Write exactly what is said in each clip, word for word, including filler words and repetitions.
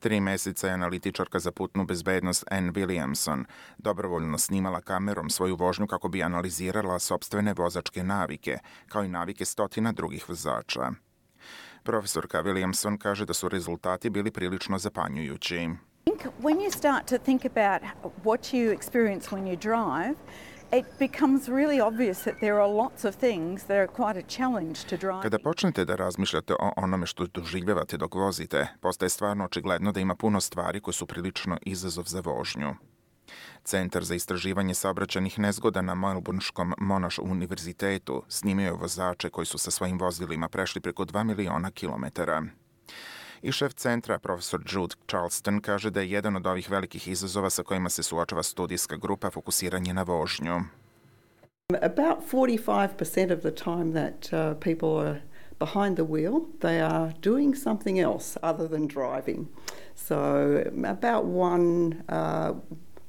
Tri meseca je analitičarka za putnu bezbednost Ann Williamson dobrovoljno snimala kamerom svoju vožnju kako bi analizirala sopstvene vozačke navike, kao i navike stotina drugih vozača. Profesorka Williamson kaže da su rezultati bili prilično zapanjujući. When you start to think about what you experience when you drive, it becomes really obvious that there are lots of things that are quite a challenge to driving. Kada počnete da razmišljate o onome što doživljavate dok vozite, postaje stvarno očigledno da ima puno stvari koje su prilično izazov za vožnju. Centar za istraživanje saobraćajnih nezgoda na Melbourneskom Monash univerzitetu snimio je vozače koji su sa svojim vozilima prešli preko dva miliona kilometara. I šef centra, profesor Jude Charleston, kaže da je jedan od ovih velikih izazova sa kojima se suočava studijska grupa fokusiranje na vožnju. About forty-five percent of the time that uh, people are behind the wheel, they are doing something else other than driving. So about one, uh,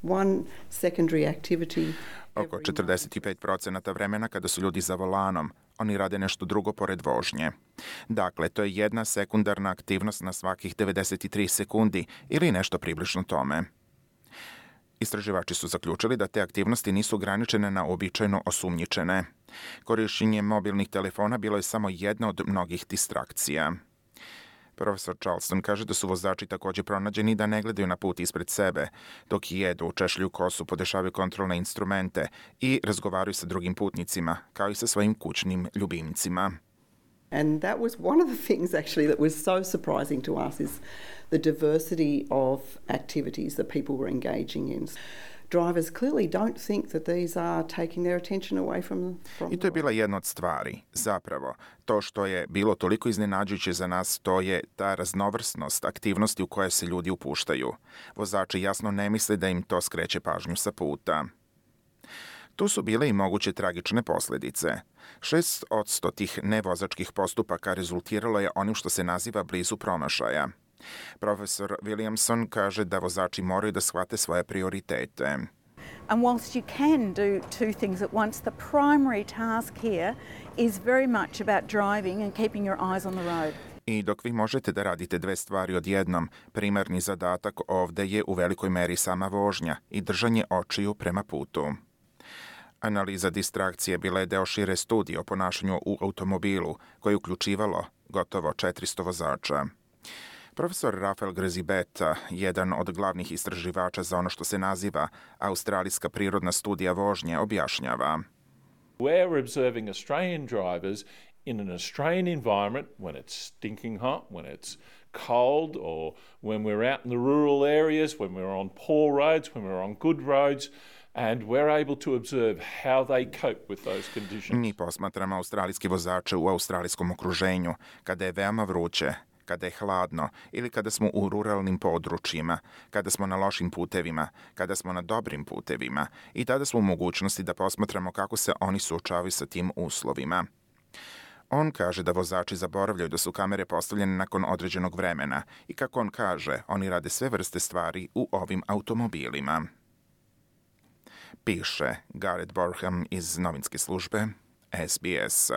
one secondary activity. Oko četrdeset pet procenata vremena kada su ljudi za volanom, oni rade nešto drugo pored vožnje. Dakle, to je jedna sekundarna aktivnost na svakih devedeset tri sekundi ili nešto približno tome. Istraživači su zaključili da te aktivnosti nisu ograničene na uobičajeno osumnjičene. Korišćenje mobilnih telefona bilo je samo jedna od mnogih distrakcija. Profesor Charleston kaže da su vozači također pronađeni da ne gledaju na put ispred sebe, dok jedu, češljuju kosu, podešavaju kontrolne instrumente i razgovaraju sa drugim putnicima, kao i sa svojim kućnim ljubimcima. And that was one of the things actually that was so surprising to us is the diversity of activities that people were engaging in. Drivers clearly don't think that these are taking their attention away from, from I to je bila jedna od stvari. Zapravo, to što je bilo toliko iznenađujuće za nas, to je ta raznovrsnost aktivnosti u koje se ljudi upuštaju. Vozači jasno ne misle da im to skreće pažnju sa puta. Tu su bile i moguće tragične posljedice. Šest odsto tih nevozačkih postupaka rezultiralo je onim što se naziva blizu promašaja. Profesor Williamson kaže da vozači moraju da shvate svoje prioritete. And whilst you can do two things at once, the primary task here is very much about driving and keeping your eyes on the road. I dok vi možete da radite dve stvari odjednom, primarni zadatak ovde je u velikoj meri sama vožnja i držanje očiju prema putu. Analiza distrakcije bila je deo šire studije o ponašanju u automobilu, koje je uključivalo gotovo četiristo vozača. Profesor Rafael Grzibeta, jedan od glavnih istraživača za ono što se naziva Australijska prirodna studija vožnje, objašnjava. We're observing Australian drivers in an Australian environment when it's stinking hot, when it's cold, or when we're out in the rural areas, when we're on poor roads, when we're on good roads, and we're able to observe how they cope with those conditions. Mi posmatramo australijske vozače u australijskom okruženju, kada je veoma vruće, kada je hladno ili kada smo u ruralnim područjima, kada smo na lošim putevima, kada smo na dobrim putevima i tada smo u mogućnosti da posmatramo kako se oni suočavaju sa tim uslovima. On kaže da vozači zaboravljaju da su kamere postavljene nakon određenog vremena i kako on kaže, oni rade sve vrste stvari u ovim automobilima. Piše Gareth Borham iz novinske službe S B S.